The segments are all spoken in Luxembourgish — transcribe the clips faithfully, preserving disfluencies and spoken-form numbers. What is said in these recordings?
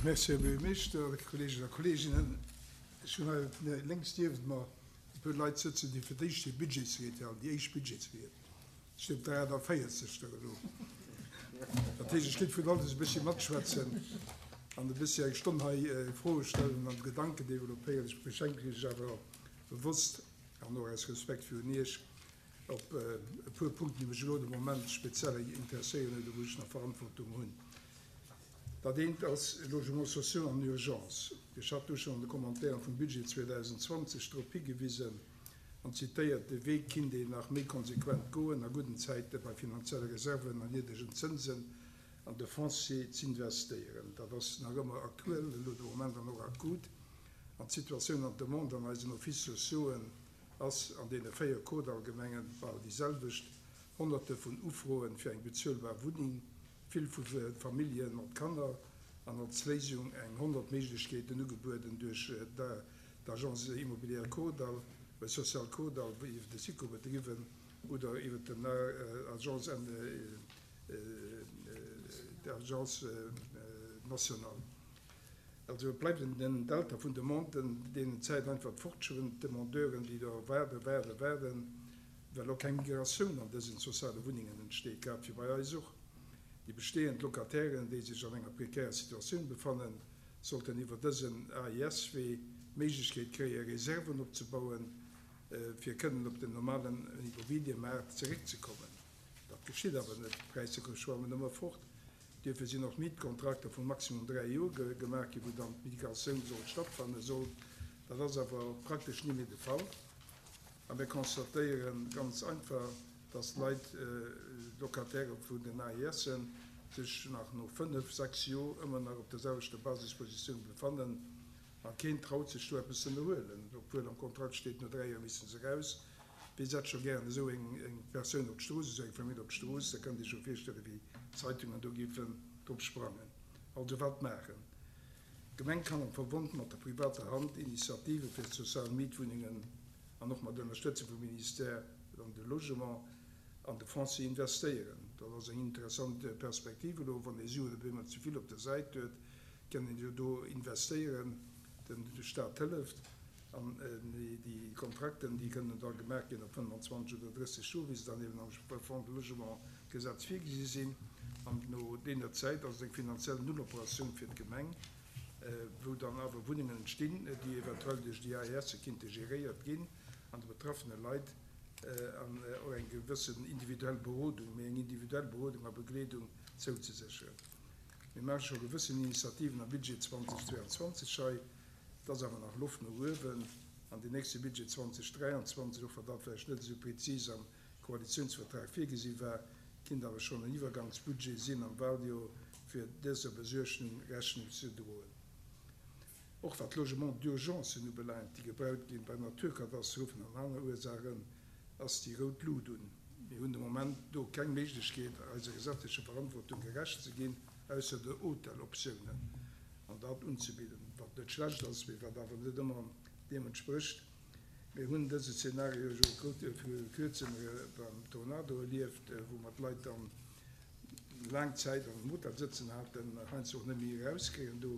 Merci, Här Buergermeeschter, Kolleegen a Kolleeginnen. Ech hunn hei lénks niewent mer e puer Leit sëtzen, déi fir d'éischt hir Budgetsried halen, déi éischt Budgetsried. Ech sinn op der aachtavéierzegster elo. Dat heescht, ech kéint vun alles e bëssi matschwätzen an e bëssi eng Stonn hei Froe stellen an Gedanken developpéieren. Ech beschränke mech awer bewosst an och aus Respekt virun Iech op e puer Punkten, déi mech elo de Moment speziell interesséieren oder wou ech nach Verantwortung hunn. Dat eent ass Logements sociaux en urgence. Ech hat do schonn an de Commentairen vum Budget zweedausendzwanzeg drop higewisen an zitéiert, de Wee kinnt een nach méi konsequent goen, a gudden Zäite bei finanzielle Reserven an niddregen Zënsen an de Foncier z'investéieren. Dat ass nach ëmmer aktuell elo de Moment an och akut. An d'Situatioun an d'Demande an eisen Offices sociauxen ass an deene véier Kordall-Gemenge bal déi selwecht, Honnerte vun Ufroen fir eng bezuelbar Wunneng, vill vu Famillje mat Kanner, an als Léisung eng honnert Méiglechkeeten ugebueden duerch d'Agence Immobilière Kordall, Sociale Kordall, iwwer de SICO bedriwwen oder iwwer den Agence d'Agence nationale. Also et bleift en Delta vun Demanden, deenen d'Zäit einfach fortschwëmmt, Demandeuren, déi do waarden, waarden, waarden, well och keng Migratioun an dësen soziale Wunnengen entsteet, grad wéi bei eis och. Déi bestehend Locatairen, déi sech an enger prekärer Situatioun befannen, sollten iwwer dësen A I S-Wee d'Méiglechkeet kréien, Reserven opzebauen, fir kënnen op den normalen Immobiliëmaart zeréckzekommen. Dat geschitt awer net, d'Präisser schwammen ëmmer fort. Duerfir sinn och Mietkontrakter vu maximum dräi Joer gemaach ginn, wou dann d'Migratioun sollt stattfanne sollt. Dat ass awer praktesch ni méi de Fall. A mir constatéiere ganz einfach, dass d'Leit, d'Locataire vun den A I Sen, sech nach no fënnef, sechs Joer ëmmer nach op der selwechter Basispositioun befannen a keen traut sech do eppes ze ënnerhuelen, obwuel am Kontrakt steet, no dräi Joer misste se eraus. Wie setzt scho gären esou eng Persoun op d'Strooss, esou eng Famill op d'Strooss? Da kënnt Dir scho virstellen, wéi d'Zeitungen do géifen drop sprangen. Also wat maachen? D'Gemeng kann am Verbond mat der privater Hand Initiative fir sozial Mietwunnengen an och mat Ënnerstëtzung vum Ministère an de Logement an de Foncier investéieren. Dat ass eng interessant Perspektiv elo, wann ee Suen op eemol ze vill op der Säit huet, kann een jo do investéieren, den Staat hëlleft. An déi Kontrakten, déi kënnen da gemaach ginn op fënnwanzwanzeg oder drësseg Joer, wéi se dann eben am Fonds de Logement Gesetz virgesi sinn. An no deeër Zäit ass et eng finanziell Nulloperatioun fir d'Gemeng, wou dann awer Wunnengen entstinn, déi eventuell duerch déi A I S kinnte geréiert ginn an de betraffene Leit an och eng gewëssen individuell Berodung, méi eng individuell Berodung a Begleedung zouzesécheren. Mir maache scho gewëssen Initiativen am Budget zweitausendzweiundzwanzeg hei. Dat ass awer nach Loft no uewen. An den nächste Budget zweitausenddräiundzwanzeg, och wann dat vläicht net esou präzis am Koalitionsvertrag virgesi war, kinnt awer schonn en Iwwergangsbudget sinn am Wahljoer, fir dëser Besuergnung Rechnung ze droen. Och wat Logement d'urgence ubelaangt, déi gebaut ginn bei Naturkatastrophen an aner Ursachen, ass déi rout Lut un. Mir hunn de Moment do keng Méiglechkeet, eiser gesetzlecher Verantwortung gerecht ze ginn, ausser de Hoteloptiounen an dat unzebidden, wat net schlecht ass, mee wat awer net ëmmer deem entsprécht. Mir hunn dëse Szenario jo viru kuerzem beim Tornado erlieft, wou mer d'Leit dann laang Zäit an dem Hotel sëtzen haten, heiansdo och net méi erauskréien do.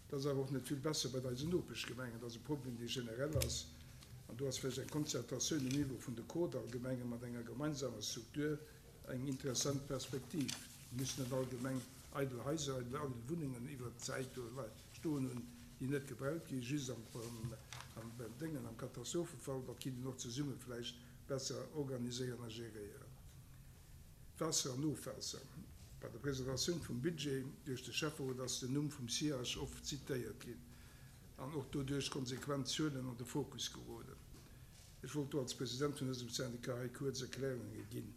Dat ass awer och net vill besser bei eisen Nopeschgemengen. Dat ass e Problem, dee generell ass. An do ass vläicht eng Konzertatioun um Niveau vun de Kordallgemengen mat enger gemeinsamer Struktur eng interessant Perspektiv. Wir müssen net allgemeng eidel Häuser, eidel Wunnungen iwwer d'Zäit do stoen hunn, déi net gebaut ginn, just am, am, am Déngen, am Katastrophefall, dat kinnt een och zesumme vläicht besser organiséieren a geréieren. Waasser an Ofwaasser. Bei der Presentatioun vum Budget duerch de Schäfferot ass den Numm vum S I A C oft zitéiert ginn an och doduerch konsequent Zuelen an de Fokus geroden. Ech wollt do als President vun dësem Syndikat hei kuerz Erklärungen ginn.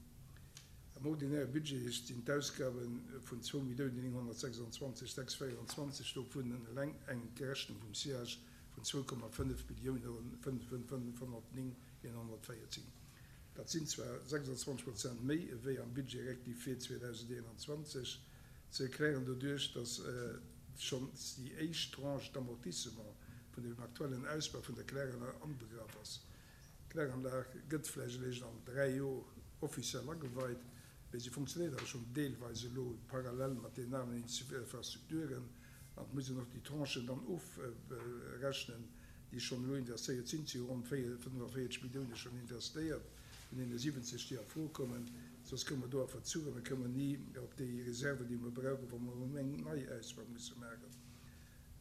Am ordinäre Budget sinn d'Ausgaben vun zwei Milliounen neunhundertsechsundzwanzig sechshundertvierundzwanzig dovun eleng eng Gerechnung vum S I A C vun zwei Komma fënnef Milliounen fünfhundertneunhundertvierzehn. Dat sinn zwar sechsundzwanzig Prozent méi wéi am Budget rectifié zweitausendeinundzwanzig, ze erklären doduerch, dass schonn déi éischt Tranche d'Amortissement vun dem aktuellen Ausbau vun der Kläranlag anbegraff ass. D'Kläranlag gëtt vläicht eréischt an dräi Joer offiziell ageweit, mee sie funktioniert awer schon deelweis elo parallel mat den aneren Infrastrukturen An et muss een och déi Tranchen dann ofrechnen, déi schonn elo investéiert sinn. Et si jo ronn fënnefenvéierzeg Millioune schonn investéiert vun deene siwwenzeg, déi a Fro kommen. Soss komme mer do a Verzug a mir kommen ni op déi Reserven, déi mer brauchen, wa mer eng nei Ausbau musse maachen.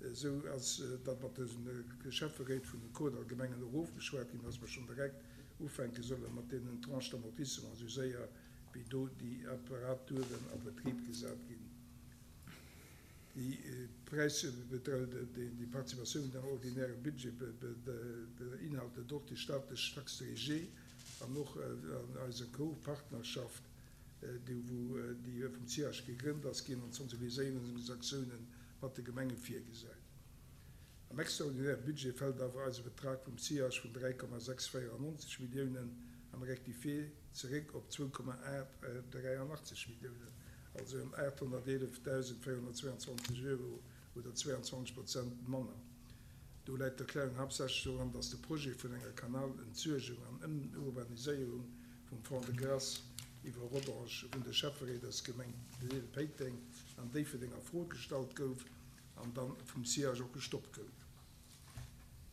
Esou ass dat mat de Schäfferéit vun den Kordall-Gemengen och ofgeschwat ginn, dass mer schonn direkt ufänke solle mat deenen Tranches d'amortissement, esou séier wéi do déi Apparaturen a Betrib gesat ginn. Déi Präisbedrëll, déi Participatioun am ordinäre Budget beinhaltet och déi staatlech Taxe de régie an och eise Co-Partnerschaft, déi wou déi vum C I H gegrënnt ass ginn an d'Sensibiliséierungsaktiounen mat de Gemenge virgesäit. Am extraordinäre Budget fält awer eise Betrag vum C I H vun dräi Komma sechs véierannonzeg Milliounen am Rectifié zeréck op zwou Komma aacht dräianachtzeg Milliounen, also ëm aathonnerteelefdausendvéierhonnertzwéianzwanzeg Euro oder zwéianzwanzeg Prozent manner. Do läit d'Erklärung haaptsächlech doran, dass de Projet vun enger Kanalentsuergung an Ëmurbaniséierung vum Fond-de-Gras iwwer Rodange vun de Schäfferéit aus Gemeng Péiteng an Déifferdeng a Fro gestallt gouf an dann vum C I H och gestoppt gouf.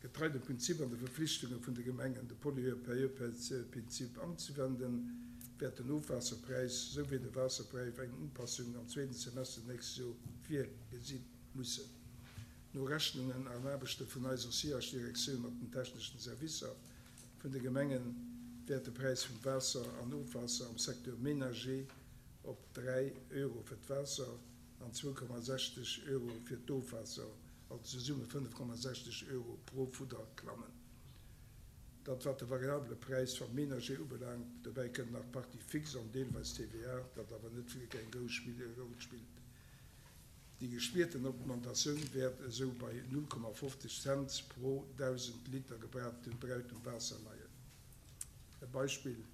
Getrei dem Prinzip an de Verflichtunge vun de Gemengen, de Pollueur-Payeur-Prinzip anzewenden, wäert den Ofwaasserpräis souwéi de Waasserpräis eng Upassung am zweeten Semester nächst Joer virgesi mussen. No Rechnungen an Aarbechte vun eiser C I H-Direktioun mat den techneschen Servicer vun de Gemengen wäert de Präis vum Waasser an Ofwaasser am Secteur ménager op dräi Euro fir d'Waasser an zwou Komma sechzeg Euro fir d'Ofwaasser, also zesumme fënnef Komma sechzeg Euro pro Fudder klammen. Dat wat de variabele Präis vum Ménager ubelaangt, dobäi kënnt nach d'Partie fixe an deelweis T V A, dat awer net wierklech eng grouss Roll spillt. Déi gespierten Augmentatioun wäert esou bei null Komma fofzeg Cents pro dausend Liter gebrauchtem Waasser leien. E Beispill,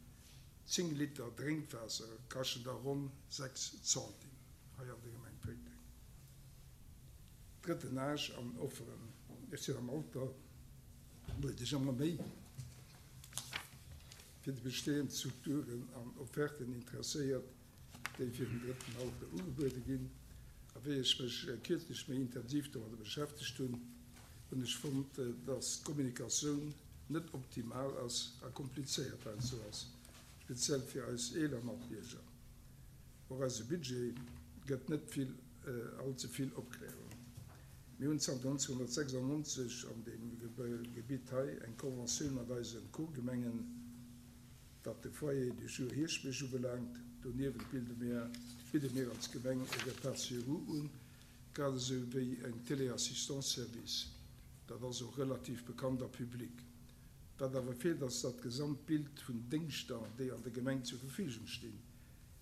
zéng Liter Drénkwaasser kaschten da ronn sechs Centime hei an der Gemeng Péiteng. Drëtten Âge an Offeren. Ech sinn am Alter, wou ech ëmmer méi fir déi bestehend Strukturen an Offerten interesséiert, déi fir den drëtten Alter ugebuede ginn. A wéi ech mech kierzlech méi intensiv domadder beschäftegt hunn, hunn ech fonnt, dass d'Kommunikatioun net optimal ass a komplizéiert heiansdo ass, speziell fir eis eeler Matbierger. Och eise Budget gëtt net vill, all ze vill Opklärung. Mir hunn zanter nonzénghonnertsechsannonzeg an deem Gebitt hei eng Conventioun mat eise Co-Gemengen, wat de Foyer du jour Hierschtbierg ubelaangt. Doniewent bilde mir, bidde mir als Gemeng e Repas sur roues un, grad esou wéi eng Téléassistance-Service. Dat ass och relativ bekannt a public. Wat awer feelt, ass dat gesamt Bild vun Déngschter, déi an der Gemeng zur Verfügung stinn.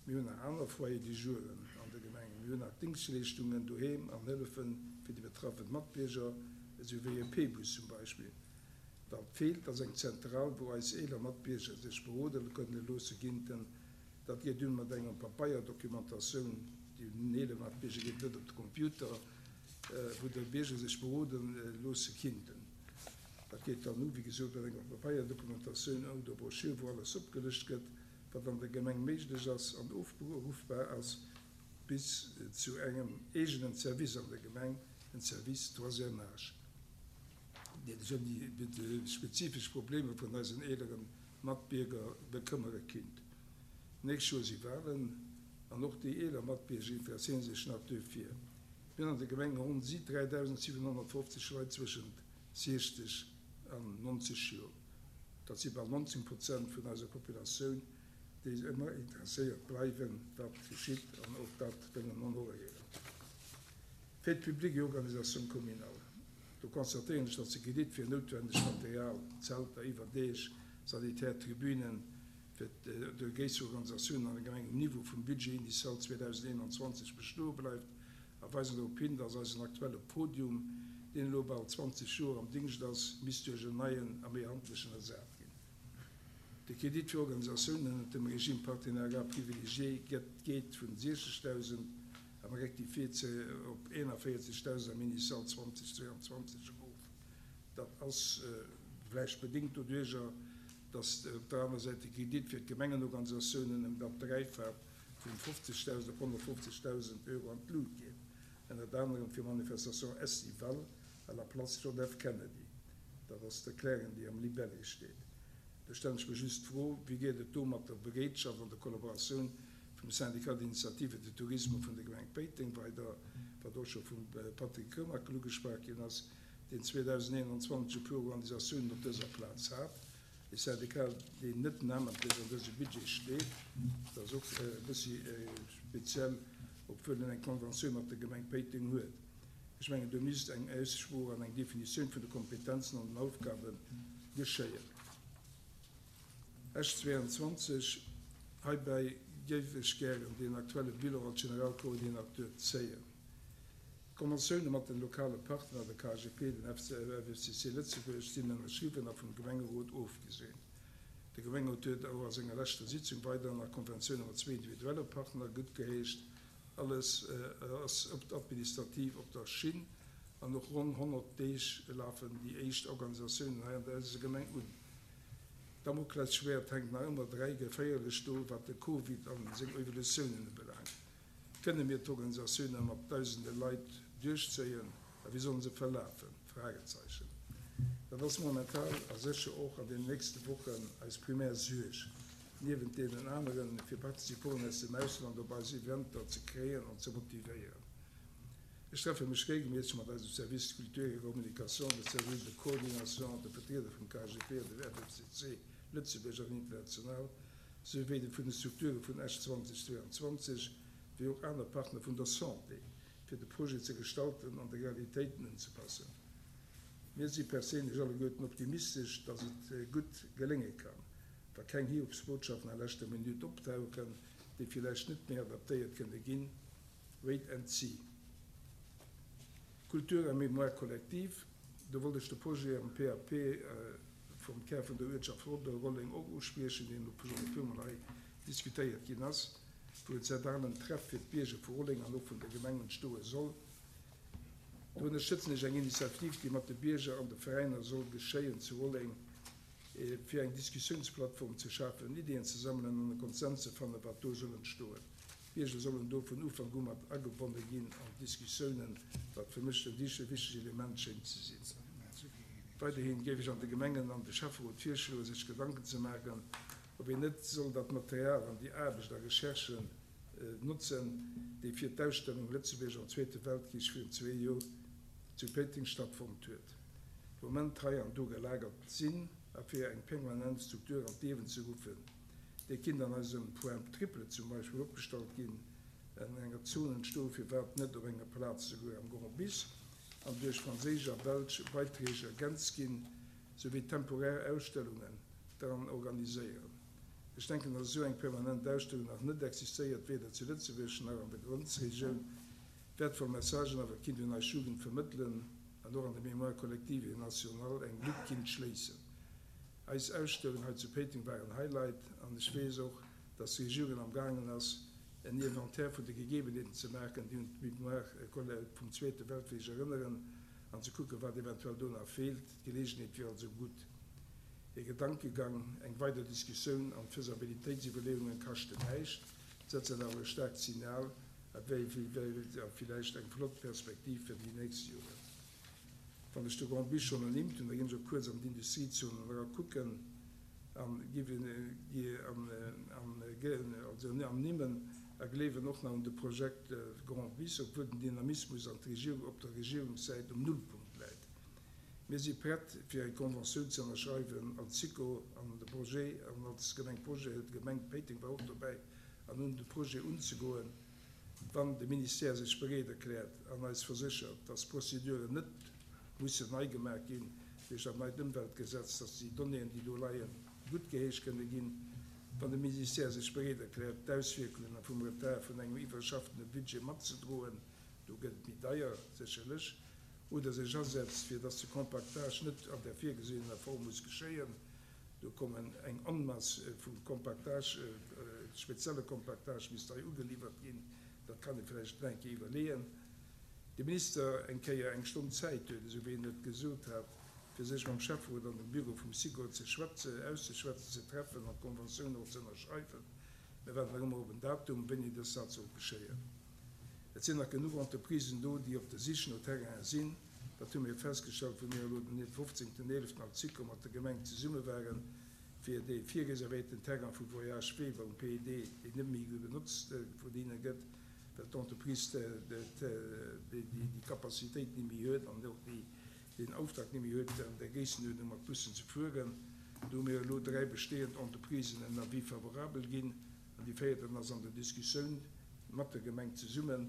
Mir hunn nach aner Foyers du jouren an der Gemeng. Mir hunn nach Dingschtleeschtungen doheem an Hëllefe fir déi betraffe Matbierger, esou wéi e P-Bus zum Beispill. Wat feelt, ass eng Zentral, wou eis eeler Matbierger sech berode kënne loosse ginnten. Dat geet dunn mat enger Papeierdokumentatioun, déi un den eelere Matbierger geet, net op de Computer, wou de Bierger sech berode loosse kinnten. Dat geet dann u, wéi gesot, mat enger Papeierdokumentatioun oder Broschür, wou alles opgelëscht gëtt, wat an der Gemeng méiglech ass an ofruffbar ass, bis zu engem eegenen Service an der Gemeng, en Service troisième âge, dee sech ëm déi spezifesch Problemer vun eisen eelere Matbierger bekëmmere kinnt. Nächst Joer si Walen an och déi eeler Matbierger interesséiere sech nach duerfir. Mir hunn an der Gemeng ronn dräidausendsiwenhonnertfofzeg Leit zwëschent siechzeg an nonzeg Joer. Dat si bal nonzéng Prozent vun eiser Populatioun, déi ëmmer interesséiert bleiwen, wat geschitt an och dat wëllen honoréieren. Fête publique et organisation communale. Do constatéieren ech, datt de Kredit fir noutwennegt Material, Zelter, Iwwerdeeg, sanitär Tribünen, fir déi gréisser Organisatiounen an der Gemeng um Niveau vum Budget initial zweedausendeenanzwanzeg bestoe bleift a weisen drop hin, datt eisen aktuelle Podium, deen elo bal zwanzeg Joer am Dingscht ass, misst duerch en neien a méi handlechen ersat ginn. De Kredit fir Organisatiounen ënnert dem Régime partenariat privilégié geet vun siechzegdausend am Rectifié op eenanvéierzegdausend am Initial zweedausendzwéianzwanzeg erof. Dat ass vläicht bedéngt doduerjer, datt op der anerer Säit de Kredit fir d'Gemengenorganisatiounen ëm dat Dräifacht vun fofzegdausend op honnertfofzegdausend Euro an d'Lut geet. ënnert anerem fir Manifestation estivale à la place John F. Kennedy. Dat ass d'Erklärung, déi am Libellé steet. Do stellen ech mer just d'Fro, Wéi geet et do mat der Bereetschaft an der Kollaboratioun vum Syndicat d'initiative de tourisme vun der Gemeng Péiteng weider, wat och scho vum Patrick Remakel ugeschwat ginn ass, deen zweedausendeenanzwanzeg e puer Organisatiounen op dëser Plaz hat, e Syndicat, deen net namentlech an dësem Budget steet, dat ass och e bëssi speziell, obwuel en eng Konventioun mat der Gemeng Péiteng huet. Ech mengen, do misst eng Aussprooch an eng Definitioun vun de Kompetenzen an den Aufgabe geschéien. Esch zweiundzwanzeg, Heibäi géif ech gären deen aktuelle Bilan als Generalkoordinateur zéien. D'Konventioune mat den lokale Partner, de K G P, den F C F C C Lëtzebuerg, sinn ënnerschriwwen a vum Gemengerot ofgeseent. De Gemengerot huet och a senger leschter Sitzung weider nach Konventioune mat zwee individuelle Partner guttgeheescht. Alles ass administrativ op der Schinn an och ronn honnert Deeg lafen déi éischt Organisatiounen hei an eiser Gemeng un. D'Damoklesschwäert hänkt nach ëmmer dräi geféierlech do, wat de Covid an seng Evolutiounen ubelaangt. Kënne mir d'Organisatioune mat dausende Leit duerchzéien a wéi sollen se verlafen? Fragezeichen. Dat ass momentan a sécher och an den nächste Wochen eis primär Suerg, niewent deenen aneren, fir Participanten aus dem Ausland op eis Eventer ze kréien an ze motivéieren. Ech treffe mech regelméisseg mat eisem Service Culture et Communication, der Cellule de coordination, de Vertrieder vum K G P an dem F F C C Lëtzebuerg an international, souwéi de vun de Strukture vun Esch zweedausendzweiundzwanzeg, wéi och aner Partner vun der Santé, fir de Projet ze gestalten an de Realitéiten unzepassen. Mir si perséinlech alleguerten optimistesch, dass et gutt gelénge kann, wa keng Hiobsbotschaften a leschter Minutt optauchen, déi villäicht net méi adaptéiert kënne ginn. Wait and see. Culture a Mémoire collective, do wollt ech de Projet am P A P vum Kär vun der Uertschaft Rolleng och uspriechen, deen elo schonn e puermol hei diskutéiert ginn ass, wou en zentralen Treff fir d'Bierger vu Rolleng an och vun der Gemeng entstoe soll. Do ënnerstëtzen ech eng Initiativ, déi mat de Bierger an de Veräiner soll geschéien zu Rolleng, fir eng Diskussiounsplattform ze schafen, Iddien ze sammelen an e Konsens ze fannen, wat do soll entstoen. D'Bierger sollen do vun Ufank u mat agebonne ginn an d'Diskussiounen, wat fir mech e wichtegt Element schéngt ze sinn. Weiderhin géif ech an de Gemengen an de Schäfferot virschloen, sech Gedanken ze maachen, ob een net soll dat Material an déi Aarbecht a Recherchen notzen, déi fir d'Ausstellung Lëtzebuerg am Zweete Weltkrich virun zwee Joer zu Péiteng stattfonnt huet, de Moment hei an do gelagert sinn, a fir eng permanent Struktur an d'Liewen ze ruffen. Déi kinnt an eisem Point triple zum Beispill opgestallt ginn, an enger Zon entstoen, firwat net op enger Plaz souguer am Grand Bis, an duerch franséisch a belsch Beiträg ergänzt ginn, souwéi temporär Ausstellungen dran organiséieren. Ech denken, dass esou eng permanent Ausstellung nach net existéiert, weder zu Lëtzebuerg nach an der Grenzregioun. Wäertvoll Messagen awer kinnt un eis Jugend vermëttelen an och an der Mémoire collective et nationale eng Lück kinnt schléissen. Eis Ausstellung hei zu Péiteng war en Highlight an ech weess och, dass d'Regierung am gaangen ass, en Inventaire vun de Gegebenheeten ze maachen, déi un d'Mémoire vum Zweete Weltkrich erënneren, an ze kucken, wat eventuell do nach feelt. D'Geleegenheet wier also gutt. E Gedankegang, eng weider Diskussioun an Faisabilitétsiwwerleeungen kaschten näischt, setzen awer e staarkt Signal a villäicht eng flott Perspektiv fir déi nächst Joren. Wann ech de Grand Bis schonn ernimmt hunn, da ginn ech och kuerz an d'Industriezonen era kucken an ernimmen a gleewen och nach un de Projekt Grand Bis, obwuel den Dynamismus an op der Regierungssäit um Nullpunkt läit. Mir si prett, fir eng Conventioun ze ënnerschreiwen als Sikor an de Projet an als Gemeng Projet, d'Gemeng Péiteng war och dobäi, an un de Projet unzegoen, wann de Ministère sech bereet erkläert an eis verséchert, dass d'Prozeduren net mussen nei gemaach ginn duerch dat neit Ëmweltgesetz, dass déi Donnéeën, déi do leien, guttgeheescht kënne ginn, wann de Ministère sech bereet erkläert, d'Auswierkunge vum Retard vun engem iwwerschaffene Budget matzedroen, do gëtt et méi deier sécherlech, oder sech asetzt, fir dass de Compactage net an der virgesehener Form muss geschéien, do kommen eng Onmass vu Compactage, spezielle Compactage misst hei ugeliwwert ginn, dat kann ee vläicht nach eng Kéier iwwerleeën. De Minister eng Kéier eng Stonn Zäit huet, esou wéi en et gesot hat, fir sech mam Schäfferot an dem Büro vum Sikor ze schwätzen, auszeschwätzen, ze treffen an d'Conventioun och ze ënnerschreiwen. Mir waarden nach ëmmer op en Datum, wéini dës dat soll geschéien. Et sinn nach genuch Entreprisen do, déi op der Sich no Terrainen sinn. Dat hu mir festgestallt, wou mir elo den fofzéngten eeleften am Zico mat der Gemeng zesumme waren, fir dee virreservéierten Terrain vu Voyage Weber um P E D, deen net méi benotzt vun hinne gëtt, well d'Entreprise déi Capacitéit net méi huet an och deen Auftrag net méi huet, an där Gréissenuerdnung mat Bussen ze fueren. Do hu mir elo dräi bestehend Entreprisen en Avis favorable ginn an déi véierten ass an der Diskussioun mat der Gemeng zesummen,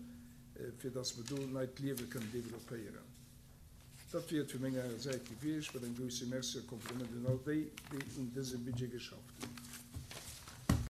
fir dass mer do neit Liewe kënnen developpéieren. Dat wier et vu menger Säit gewiescht, mat engem grousse Merci a Kompliment un all déi, déi un dësem Budget geschafft hunn.